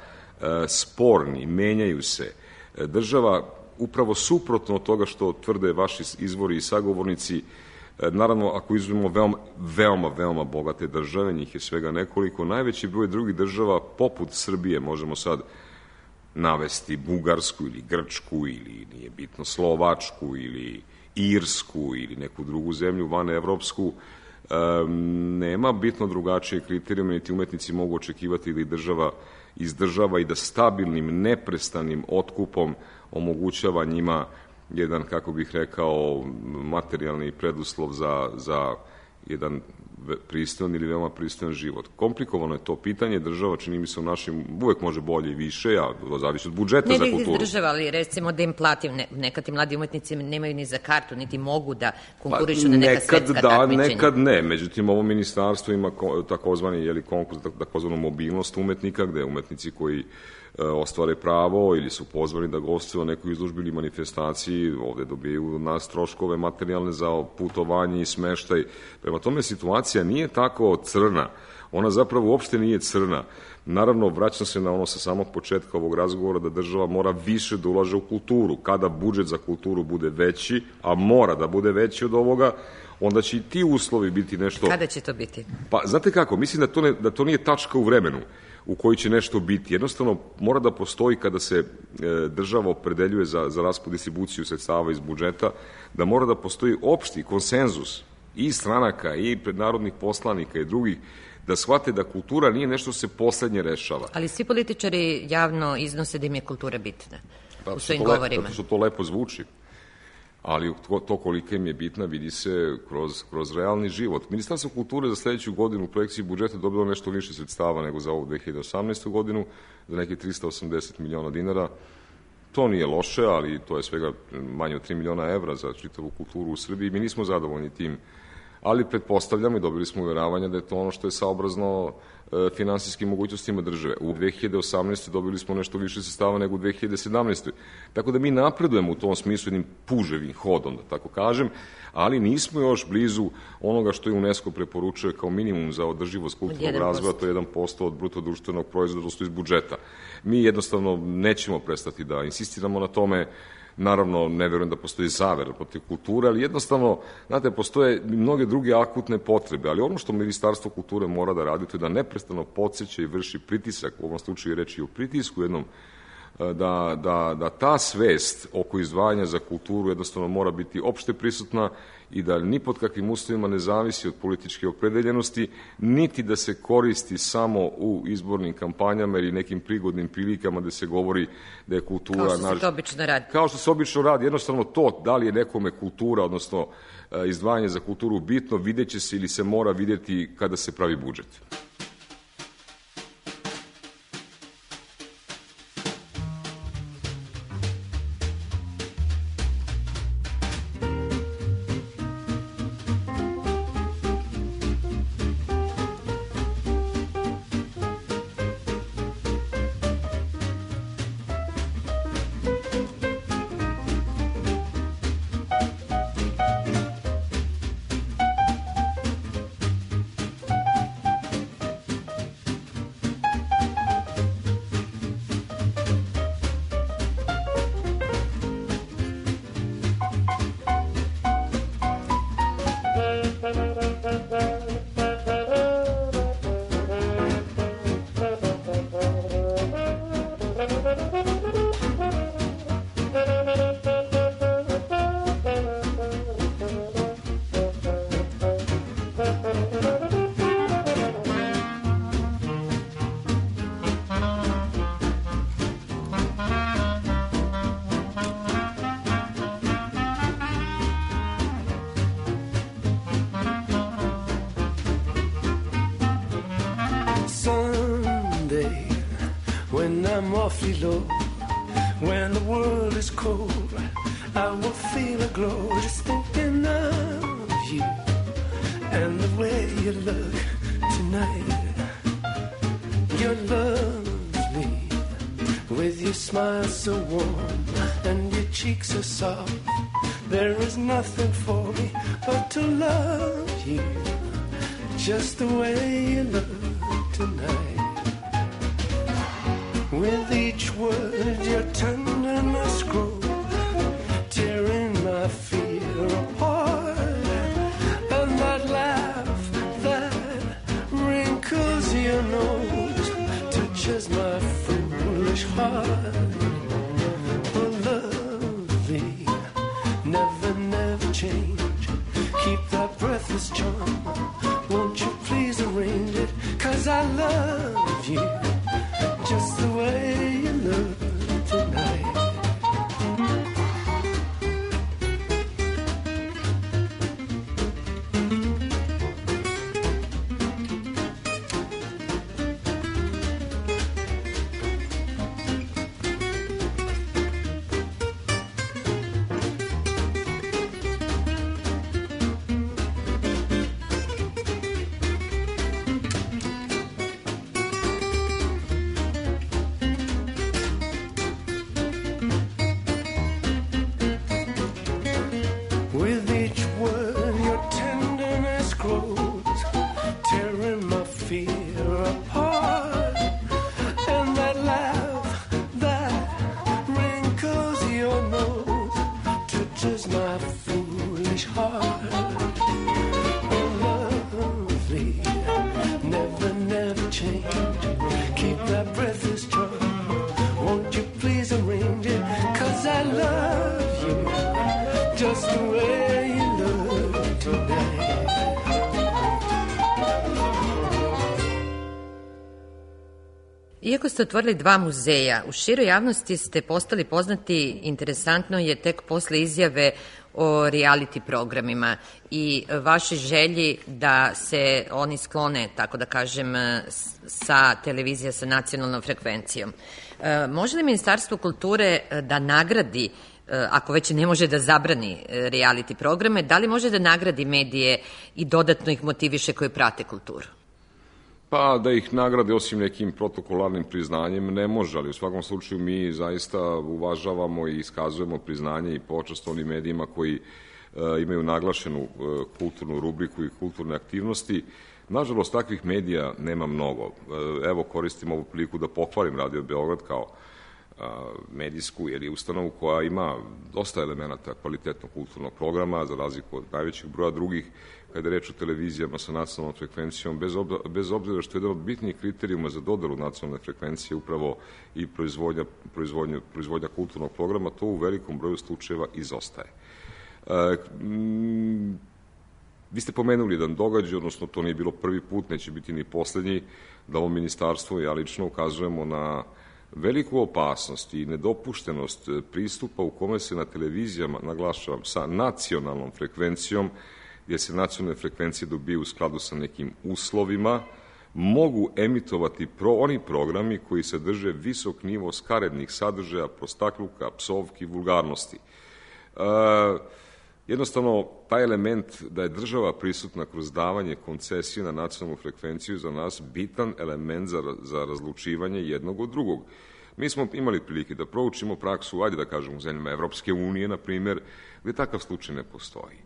sporni, menjaju se. Država, upravo suprotno od toga što tvrde vaši izvori i sagovornici, naravno, ako izuzmemo veoma bogate države, njih je svega nekoliko, najveći broj drugih država, poput Srbije, možemo sad navesti Bugarsku ili Grčku ili, nije bitno, Slovačku ili Irsku ili neku drugu zemlju vanevropsku, nema bitno drugačije kriterijume, niti umetnici mogu očekivati da ih država izdržava i da stabilnim, neprestanim otkupom omogućava njima jedan, kako bih rekao, materijalni preduslov za jedan pristojan ili veoma pristojan život. Komplikovano je to pitanje, država, čini mi se, u našim, uvek može bolje i više, a to zavisi od budžeta za kulturu. Ne da država, ali recimo da im plati, nekad ti mladi umetnici nemaju ni za kartu, niti mogu da konkurišu na neka svetska takmičenja. Nekad ne, međutim, ovo ministarstvo ima takozvani konkurs, takozvanu mobilnost umetnika, gde umetnici koji ostvare pravo ili su pozvani da gostuju u nekoj izložbi ili manifestaciji, ovde dobijaju nas troškove materijalne za putovanje i smeštaj. Prema tome, situacija nije tako crna. Ona zapravo uopšte nije crna. Naravno, vraćam se na ono sa samog početka ovog razgovora da država mora više da ulaže u kulturu. Kada budžet za kulturu bude veći, a mora da bude veći od ovoga, onda će i ti uslovi biti nešto... Kada će to biti? Pa, znate kako, mislim da to nije tačka u vremenu u kojoj će nešto biti. Jednostavno, mora da postoji kada se država opredeljuje za raspod distribuciju sredstava iz budžeta, da mora da postoji opšti konsenzus i stranaka i prednarodnih poslanika i drugih, da shvate da kultura nije nešto se poslednje rešava. Ali svi političari javno iznose da im je kultura bitna u svojim govorima. Zato što to lepo zvuči. Ali to kolika im je bitna vidi se kroz realni život. Ministarstvo kulture za sledeću godinu u projekciji budžeta dobilo nešto više sredstava nego za ovu 2018. godinu, za neke 380 miliona dinara. To nije loše, ali to je svega manje od 3 miliona evra za čitavu kulturu u Srbiji. Mi nismo zadovoljni tim, ali pretpostavljamo i dobili smo uveravanja da je to ono što je saobrazno finansijskim mogućnostima države. U 2018. dobili smo nešto više sredstava nego u 2017. Tako da mi napredujemo u tom smislu jednim puževim hodom, da tako kažem, ali nismo još blizu onoga što je UNESCO preporučuje kao minimum za održivost kulturnog razvoja, to je 1% od bruto društvenog proizvoda, odnosno iz budžeta. Mi jednostavno nećemo prestati da insistiramo na tome. Naravno, ne verujem da postoji zavera protiv kulture, ali jednostavno, znate, postoje mnoge druge akutne potrebe, ali ono što Ministarstvo kulture mora da radi, to je da neprestano podsjeća i vrši pritisak, u ovom slučaju reći i o pritisku jednom, da ta svest oko izdvajanja za kulturu jednostavno mora biti opšte prisutna i da ni pod kakvim uslovima ne zavisi od političke opredeljenosti, niti da se koristi samo u izbornim kampanjama ili nekim prigodnim prilikama gde se govori da je kultura... Kao što se to obično radi. Kao što se obično radi. Jednostavno to, da li je nekome kultura, odnosno izdvajanje za kulturu bitno, videće se ili se mora vidjeti kada se pravi budžet. Awfully low. When the world is cold, I will feel a glow just thinking of you and the way you look tonight. You're lovely, with your smile so warm and your cheeks are soft. There is nothing for me but to love you, just the way you look tonight. With each word your tenderness grows, tearing my fear apart. And that laugh that wrinkles your nose touches my foolish heart. Oh, lovely, never, never change. Keep that breathless charm. Won't you please arrange it? 'Cause I love you just the way you look tonight. With each word your tenderness grows, tearing my fear apart. And that laugh that wrinkles your nose touches my foolish heart. Oh, lovely, never, never change. Keep that breathless charm. Won't you please arrange it? 'Cause I love you just the way you look tonight. Iako ste otvorili 2 muzeja, u široj javnosti ste postali poznati, interesantno je, tek posle izjave o reality programima i vaše želji da se oni sklone, tako da kažem, sa televizija sa nacionalnom frekvencijom. Može li Ministarstvo kulture da nagradi, ako već ne može da zabrani reality programe, da li može da nagradi medije i dodatno ih motiviše koji prate kulturu? Pa da ih nagrade osim nekim protokolarnim priznanjem ne može, ali u svakom slučaju mi zaista uvažavamo i iskazujemo priznanje i počast onim medijima koji imaju naglašenu kulturnu rubriku i kulturne aktivnosti. Nažalost, takvih medija nema mnogo. Evo, koristim ovu priliku da pohvalim Radio Beograd kao medijsku ustanovu koja ima dosta elemenata kvalitetnog kulturnog programa, za razliku od najvećeg broja drugih, kada je reč o televizijama sa nacionalnom frekvencijom, bez obzira što je jedan od bitnijih kriterijuma za dodelu nacionalne frekvencije upravo i proizvodnja kulturnog programa, to u velikom broju slučajeva izostaje. Vi ste pomenuli jedan događaj, odnosno to nije bilo prvi put, neće biti ni poslednji, da ovo ministarstvo i ja lično ukazujemo na veliku opasnost i nedopuštenost pristupa u kome se na televizijama, naglašavam, sa nacionalnom frekvencijom, gdje se nacionalne frekvencije dobiju u skladu sa nekim uslovima, mogu emitovati oni programi koji sadrže visok nivo skarednih sadržaja, prostakluka, psovki, vulgarnosti. Jednostavno, taj element da je država prisutna kroz davanje koncesije na nacionalnu frekvenciju za nas bitan element za razlučivanje jednog od drugog. Mi smo imali prilike da proučimo praksu, ajde da kažemo, u zemljama Evropske unije, na primjer, gde takav slučaj ne postoji.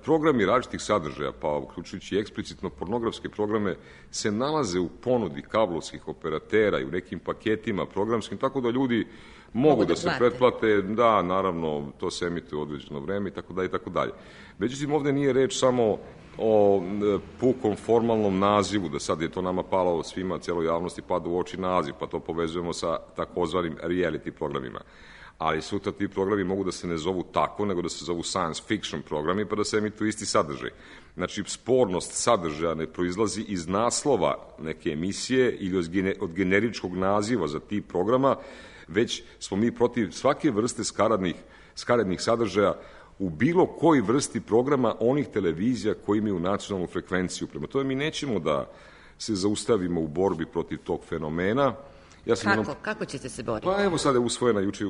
Programi različitih sadržaja, pa uključujući i eksplicitno pornografske programe, se nalaze u ponudi kablovskih operatera i u nekim paketima programskim, tako da ljudi mogu da se pretplate, da, naravno, to se emituje u određeno vreme i tako dalje i tako dalje. Međutim, ovde nije reč samo o pukom formalnom nazivu, da sad je to nama palo svima, cijeloj javnosti pada u oči naziv, pa to povezujemo sa takozvanim reality programima. Ali sutra ti programi mogu da se ne zovu tako, nego da se zovu science fiction programi, pa da se emituju isti sadržaj. Znači, spornost sadržaja ne proizlazi iz naslova neke emisije ili od generičkog naziva za tip programa, već smo mi protiv svake vrste skaradnih sadržaja u bilo koji vrsti programa onih televizija koji imaju nacionalnu frekvenciju. Prema tome, mi nećemo da se zaustavimo u borbi protiv tog fenomena, Kako ćete se boriti? Pa evo sad je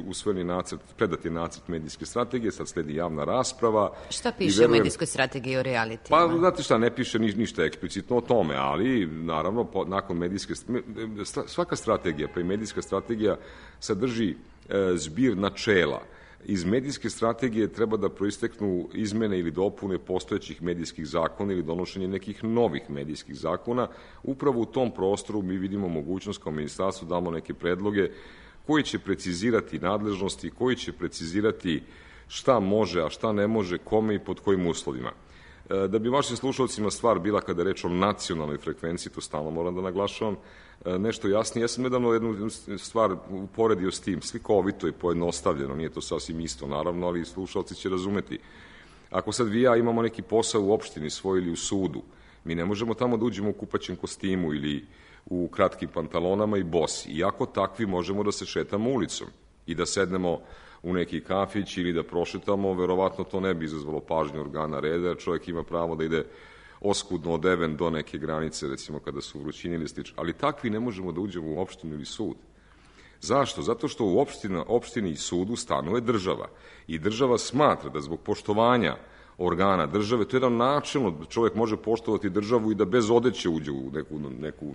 usvojeni nacrt, predat je nacrt medijske strategije, sad sledi javna rasprava. Šta piše u medijskoj strategiji o realitima? Pa znate šta, ne piše ništa eksplicitno o tome, ali naravno nakon medijske, svaka strategija, pa i medijska strategija sadrži zbir načela. Iz medijske strategije treba da proisteknu izmene ili dopune postojećih medijskih zakona ili donošenje nekih novih medijskih zakona. Upravo u tom prostoru mi vidimo mogućnost kao ministarstvo damo neke predloge koji će precizirati nadležnosti, koji će precizirati šta može, a šta ne može, kome i pod kojim uslovima. Da bi vašim slušalcima stvar bila kada je reč o nacionalnoj frekvenciji, to stalno moram da naglašavam, nešto jasnije. Ja sam nedavno jednu stvar uporedio s tim, slikovito i pojednostavljeno, nije to sasvim isto naravno, ali slušalci će razumeti. Ako sad vi i ja imamo neki posao u opštini svoj ili u sudu, mi ne možemo tamo da uđemo u kupaćem kostimu ili u kratkim pantalonama i bosi. Iako takvi možemo da se šetamo ulicom i da sednemo u neki kafić ili da prošetamo, verovatno to ne bi izazvalo pažnju organa reda, čovjek ima pravo da ide oskudno odeven do neke granice, recimo kada su vrućini ili slično. Ali takvi ne možemo da uđemo u opštinu ili sud. Zašto? Zato što u opštini i sudu stanuje država. I država smatra da zbog poštovanja organa države, to je jedan načelno, čovjek može poštovati državu i da bez odeće uđe u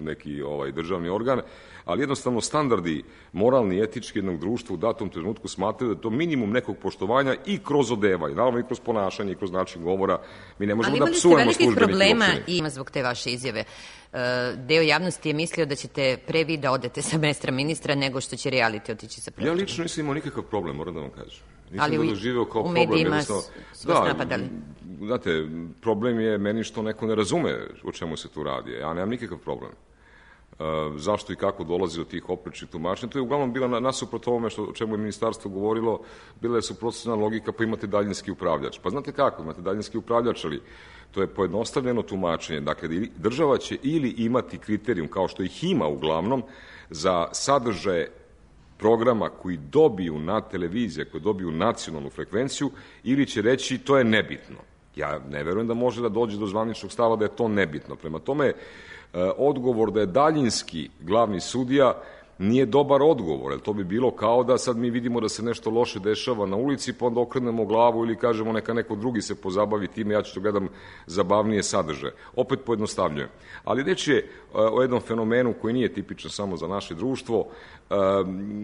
neki državni organ, ali jednostavno standardi moralni i etički jednog društva u datom trenutku smatraju da je to minimum nekog poštovanja i kroz odevanje, naravno i kroz ponašanje i kroz način govora. Mi ne možemo da psujemo službenike u opštini. Ali imali ste velikih problema i zbog te vaše izjave. Deo javnosti je mislio da ćete pre vi da odete sa mesta ministra nego što će reality otići sa pročelom. Ja lično nisam imao nikakav problem, moram da vam kažem. Ali u medijima su vas napadali. Znate, problem je meni što neko ne razume o čemu se tu radi. Ja nemam nikakav problem. Zašto i kako dolazi do tih oprečnih tumačenja? To je uglavnom bila nasuprot ovome o čemu je ministarstvo govorilo, bila je suprotstavljena logika, pa imate daljinski upravljač. Pa znate kako, imate daljinski upravljač, ali to je pojednostavljeno tumačenje. Dakle, država će ili imati kriterijum, kao što ih ima uglavnom, za sadržaje programa koji dobiju na televizije, koji dobiju nacionalnu frekvenciju, ili će reći to je nebitno. Ja ne verujem da može da dođe do zvaničnog stava da je to nebitno. Prema tome, odgovor da je daljinski glavni sudija nije dobar odgovor, jer to bi bilo kao da sad mi vidimo da se nešto loše dešava na ulici, pa onda okrenemo glavu ili kažemo neka neko drugi se pozabavi time, ja ću to gledam zabavnije sadržaje. Opet pojednostavljujem. Ali reč je o jednom fenomenu koji nije tipičan samo za naše društvo.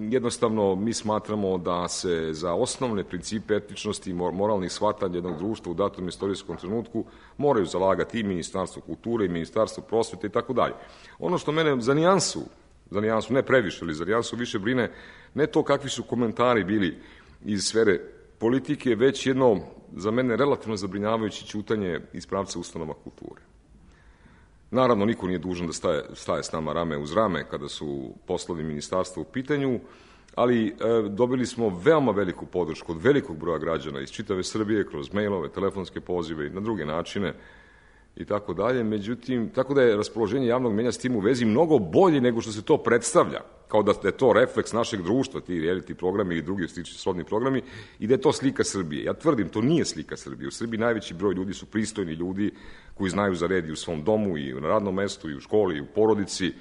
Jednostavno, mi smatramo da se za osnovne principe etičnosti i moralnih shvatanja jednog društva u datom istorijskom trenutku moraju zalagati i Ministarstvo kulture i Ministarstvo prosvete i tako dalje. Ono što mene za nijansu, ne previše, ali za nijansu više brine, ne to kakvi su komentari bili iz sfere politike, već jedno, za mene, relativno zabrinjavajuće ćutanje iz pravca ustanova kulture. Naravno, niko nije dužan da staje s nama rame uz rame kada su poslovi ministarstva u pitanju, ali dobili smo veoma veliku podršku od velikog broja građana iz čitave Srbije, kroz mailove, telefonske pozive i na druge načine, i tako dalje. Međutim, tako da je raspoloženje javnog mnjenja s tim u vezi mnogo bolje nego što se to predstavlja, kao da je to refleks našeg društva, ti reality programi i drugi srodni programi, i da je to slika Srbije. Ja tvrdim, to nije slika Srbije. U Srbiji najveći broj ljudi su pristojni ljudi koji znaju za red i u svom domu, i na radnom mestu, i u školi, i u porodici.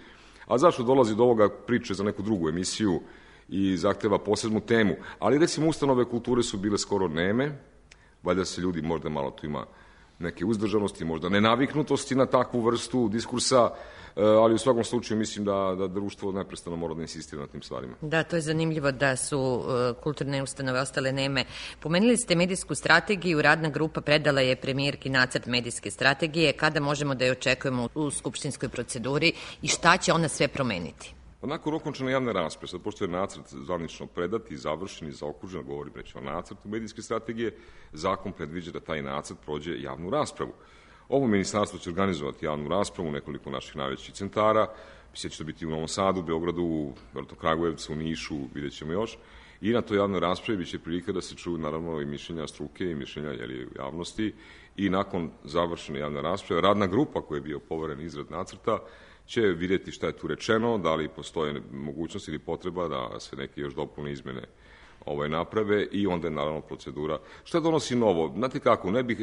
A zašto dolazi do ovoga priče za neku drugu emisiju i zahteva posebnu temu? Ali recimo ustanove kulture su bile skoro neme, valjda se ljudi, možda malo tu ima neke uzdržanosti, možda nenaviknutosti na takvu vrstu diskursa, ali u svakom slučaju mislim da društvo neprestano mora da insistira na tim stvarima. Da, to je zanimljivo da su kulturne ustanove ostale neme. Pomenuli ste medijsku strategiju, radna grupa predala je premijerki nacrt medijske strategije. Kada možemo da je očekujemo u skupštinskoj proceduri i šta će ona sve promeniti? Nakon okončane javne rasprave, sad pošto je nacrt zvanično predat i završen i zaokružen, govorim reći o nacrtu medijske strategije, zakon predviđa da taj nacrt prođe javnu raspravu. Ovo ministarstvo će organizovati javnu raspravu u nekoliko naših najvećih centara, će to biti u Novom Sadu, Beogradu, Kragujevcu, Nišu, vidjet ćemo još, i na toj javnoj raspravi biće prilika da se čuju naravno i mišljenja struke i mišljenja javnosti, i nakon završene javne rasprave radna grupa koja je bio poveren izrad nacrta će vidjeti šta je tu rečeno, da li postoje mogućnost ili potreba da se neke još dopune izmene naprave, i onda je naravno procedura. Šta donosi novo? Znate kako, ne bih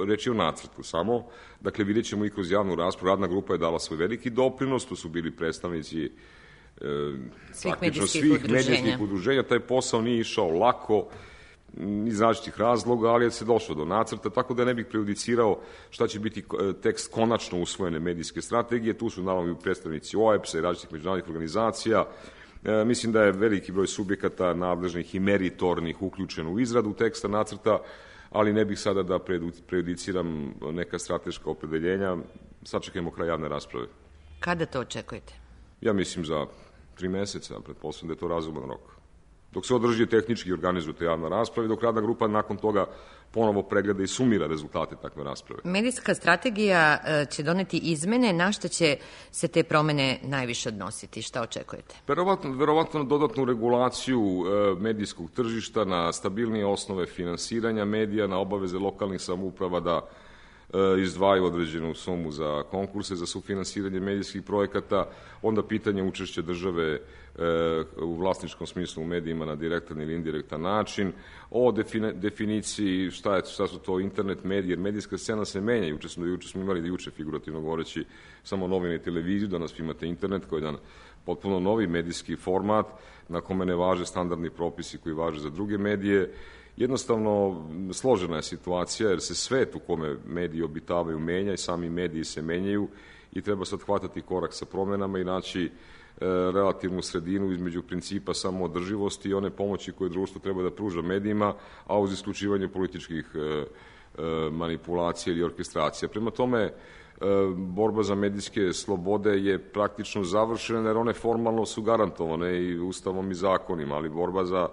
reći o nacrtu samo, dakle vidjet ćemo i kroz javnu raspravu. Radna grupa je dala svoj veliki doprinos, tu su bili predstavnici svih medijskih udruženja. Taj posao nije išao lako, iz različitih razloga, ali je se došlo do nacrta, tako da ne bih prejudicirao šta će biti tekst konačno usvojene medijske strategije. Tu su naravno i predstavnici OEBS-a i različitih međunarodnih organizacija. Mislim da je veliki broj subjekata nadležnih i meritornih uključen u izradu teksta nacrta, ali ne bih sada da prejudiciram neka strateška opredeljenja. Sačekajmo kraj javne rasprave. Kada to očekujete? Ja mislim za 3 meseca, pretpostavljam da je to razuman rok. Dok se održi tehnički i organizuje ta javna rasprava i dok radna grupa nakon toga ponovo pregleda i sumira rezultate takve rasprave. Medijska strategija će doneti izmene. Na što će se te promene najviše odnositi? Šta očekujete? Verovatno na dodatnu regulaciju medijskog tržišta, na stabilnije osnove finansiranja medija, na obaveze lokalnih samouprava da izdvajaju određenu sumu za konkurse, za sufinansiranje medijskih projekata, onda pitanje učešća države u vlasničkom smislu u medijima na direktan ili indirektan način, o definiciji šta su to internet medije, jer medijska scena se menja. Juče smo imali figurativno govoreći samo novine i televiziju, danas imate internet koji je jedan potpuno novi medijski format na kome ne važe standardni propisi koji važe za druge medije. Jednostavno, složena je situacija jer se svet u kome mediji obitavaju menja i sami mediji se menjaju i treba sad hvatati korak sa promenama i naći relativnu sredinu između principa samoodrživosti i one pomoći koje društvo treba da pruža medijima, a uz isključivanje političkih manipulacija ili orkestracija. Prema tome, borba za medijske slobode je praktično završena jer one formalno su garantovane i ustavom i zakonima, ali borba za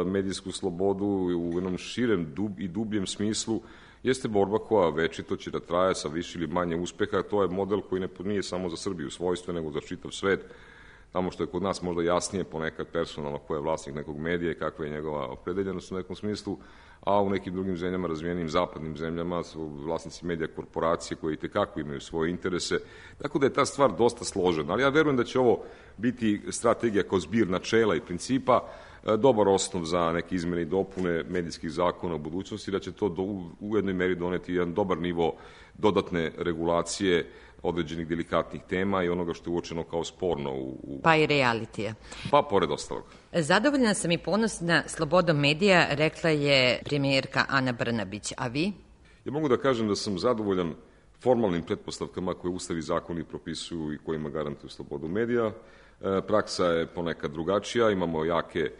medijsku slobodu u jednom širem i dubljem smislu jeste borba koja večito će da traje sa više ili manje uspeha. To je model koji nije samo za Srbiju svojstven, nego za čitav svet. Tamo što je kod nas možda jasnije ponekad personalno ko je vlasnik nekog medija i kakva je njegova opredeljenost u nekom smislu, a u nekim drugim zemljama, razvijenim zapadnim zemljama, su vlasnici medija korporacije koje itekako imaju svoje interese. Tako da je ta stvar dosta složena. Ali ja verujem da će ovo biti strategija kao zbir načela i principa, dobar osnov za neke izmene i dopune medijskih zakona u budućnosti, da će to u jednoj meri doneti jedan dobar nivo dodatne regulacije određenih delikatnih tema i onoga što je uočeno kao sporno. Pa i realitija. Pa pored ostalog. Zadovoljna sam i ponosna slobodom medija, rekla je premijerka Ana Brnabić. A vi? Ja mogu da kažem da sam zadovoljan formalnim pretpostavkama koje Ustav i zakoni propisuju i kojima garantuju slobodu medija. Praksa je ponekad drugačija, imamo jake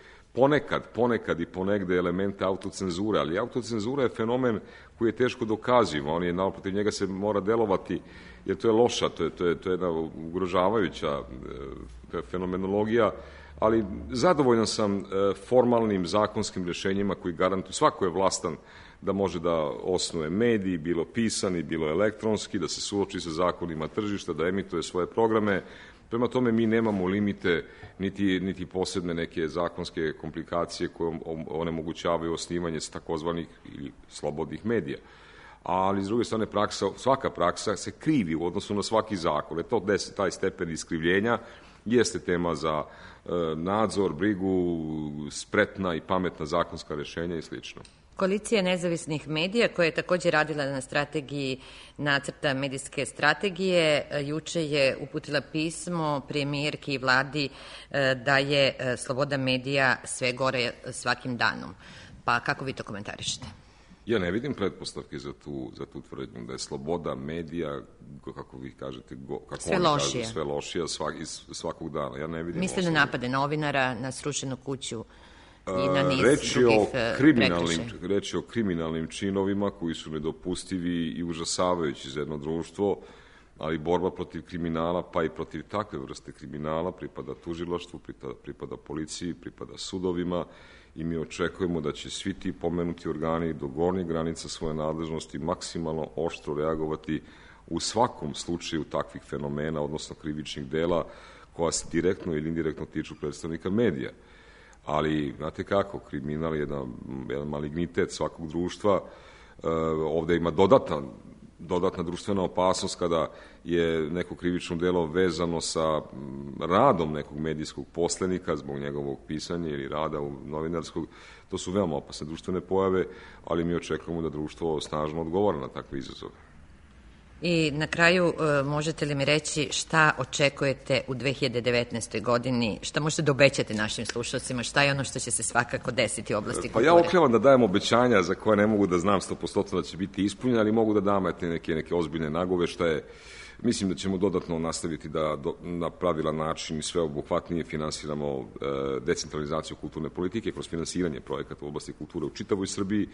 ponekad i ponegde elemente autocenzure, ali autocenzura je fenomen koji je teško dokaziv, protiv njega se mora delovati, jer to je loša, to je jedna ugrožavajuća fenomenologija, ali zadovoljan sam formalnim zakonskim rešenjima koji garantuju, svako je vlastan da može da osnuje mediji, bilo pisani, bilo elektronski, da se suoči sa zakonima tržišta, da emituje svoje programe. Prema tome, mi nemamo limite, niti posebne neke zakonske komplikacije koje onemogućavaju osnivanje takozvanih ili slobodnih medija. Ali, s druge strane, svaka praksa se krivi u odnosu na svaki zakon. Taj stepen iskrivljenja jeste tema za nadzor, brigu, spretna i pametna zakonska rešenja i slično. Koalicija nezavisnih medija, koja je također radila na strategiji nacrta medijske strategije, juče je uputila pismo premijerki i vladi da je sloboda medija sve gore svakim danom. Pa kako vi to komentarišete? Ja ne vidim pretpostavke za tu tvrdnju da je sloboda medija, kako vi kažete, sve lošija svakog dana. Ja ne vidim. Mislim na napade novinara, na srušenu kuću i na niz drugih prekršaja. Reč je o kriminalnim činovima koji su nedopustivi i užasavajući za jedno društvo, ali borba protiv kriminala, pa i protiv takve vrste kriminala, pripada tužilaštvu, pripada policiji, pripada sudovima i mi očekujemo da će svi ti pomenuti organi do gornjih granica svoje nadležnosti maksimalno oštro reagovati u svakom slučaju takvih fenomena, odnosno krivičnih dela koja se direktno ili indirektno tiču predstavnika medija. Ali, znate kako, kriminal je jedan malignitet svakog društva. Ovde ima dodatna društvena opasnost kada je neko krivično delo vezano sa radom nekog medijskog poslenika zbog njegovog pisanja ili rada novinarskog. To su veoma opasne društvene pojave, ali mi očekujemo da društvo snažno odgovara na takve izazove. I na kraju možete li mi reći šta očekujete u 2019. godini, šta možete da obećate našim slušalcima, šta je ono što će se svakako desiti u oblasti kulture? Pa ja okljavam da dajem obećanja za koje ne mogu da znam 100% da će biti ispunjene, ali mogu da dam neke ozbiljne nagoveštaje. Mislim da ćemo dodatno nastaviti da na pravilan način i sveobuhvatnije finansiramo decentralizaciju kulturne politike kroz finansiranje projekata u oblasti kulture u čitavoj Srbiji.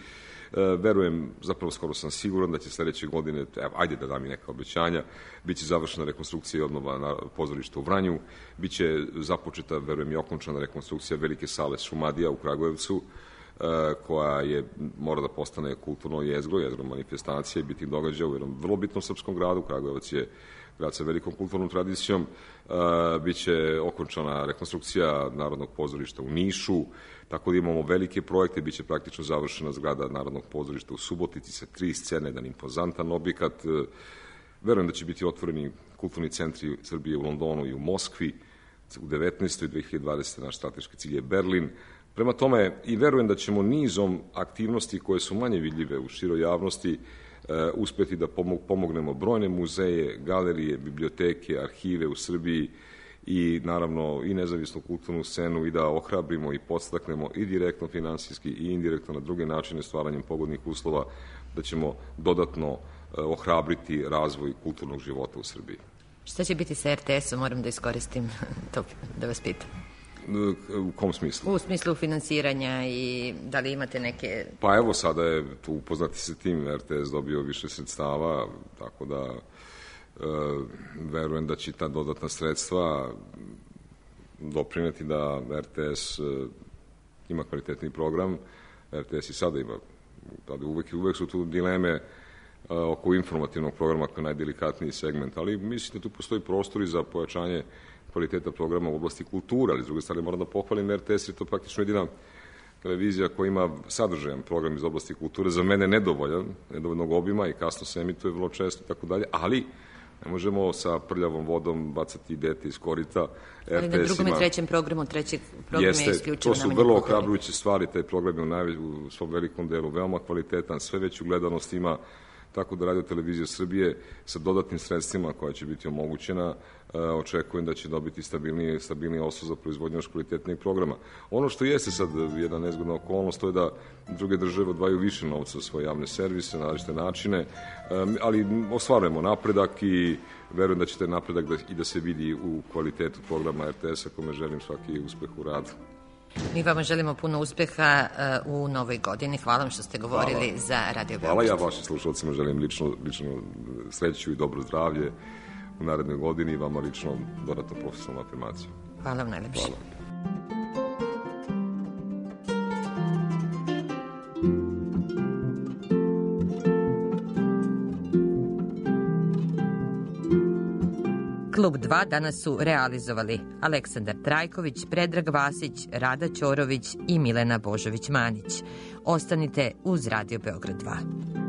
Verujem, zapravo skoro sam siguran da će sledeće godine, ajde da dam i neka obećanja, biće završena rekonstrukcija i obnova na pozorišta u Vranju, biće započeta, verujem, i okončana rekonstrukcija velike sale Šumadija u Kragujevcu, koja mora da postane kulturno jezgro manifestacije, bitnih događaja u jednom vrlo bitnom srpskom gradu. Kragujevac je grad sa velikom kulturnom tradicijom. Biće okončana rekonstrukcija Narodnog pozorišta u Nišu, tako da imamo velike projekte. Biće praktično završena zgrada Narodnog pozorišta u Subotici sa 3 scene, jedan impozantan objekat. Verujem da će biti otvoreni kulturni centri Srbije u Londonu i u Moskvi u 19. 2020. naš strateški cilj je Berlin. Prema tome, i verujem da ćemo nizom aktivnosti koje su manje vidljive u široj javnosti uspeti da pomognemo brojne muzeje, galerije, biblioteke, arhive u Srbiji i naravno i nezavisnu kulturnu scenu i da ohrabrimo i podstaknemo i direktno finansijski i indirektno na druge načine stvaranjem pogodnih uslova, da ćemo dodatno ohrabriti razvoj kulturnog života u Srbiji. Šta će biti sa RTS-om? Moram da iskoristim to da vas pitam. U kom smislu? U smislu finansiranja i da li imate neke... Pa evo, sada je tu upoznati se tim, RTS dobio više sredstava, tako da verujem da će ta dodatna sredstva doprineti da RTS ima kvalitetni program. RTS i sada ima, uvek su tu dileme oko informativnog programa koji je najdelikatniji segment, ali mislim da tu postoji prostor i za pojačanje kvaliteta programa u oblasti kulture, ali s druge strane moram da pohvalim RTS, je to praktično jedina televizija koja ima sadržajan program iz oblasti kulture, za mene nedovoljnog obima i kasno se emituje vrlo često i tako dalje, ali ne možemo sa prljavom vodom bacati dete iz korita. Ali na drugom i trećem programu, treći program je isključivo to su vrlo ohrabrujuće stvari, taj program je u svom velikom delu veoma kvalitetan, sve veću gledanost ima, tako da Radio Televizija Srbije sa dodatnim sredstvima koja će biti omogućena, očekujem da će dobiti stabilniji osnov za proizvodnju još kvalitetnijeg programa. Ono što jeste sad jedna nezgodna okolnost, to je da druge države odvajaju više novca za svoje javne servise, na različite načine, ali ostvarujemo napredak i verujem da će taj napredak i da se vidi u kvalitetu programa RTS-a, kome želim svaki uspeh u radu. Mi vama želimo puno uspeha u novoj godini. Hvala vam što ste govorili za Radio Beograd. Hvala, ja vašim slušalcima želim lično sreću i dobro zdravlje u narednoj godini i vama lično dodatnu profesionalnu afirmaciju. Hvala vam najlepše. Hvala. Klub 2 danas su realizovali Aleksandar Trajković, Predrag Vasić, Rada Ćorović i Milena Božović-Manić. Ostanite uz Radio Beograd 2.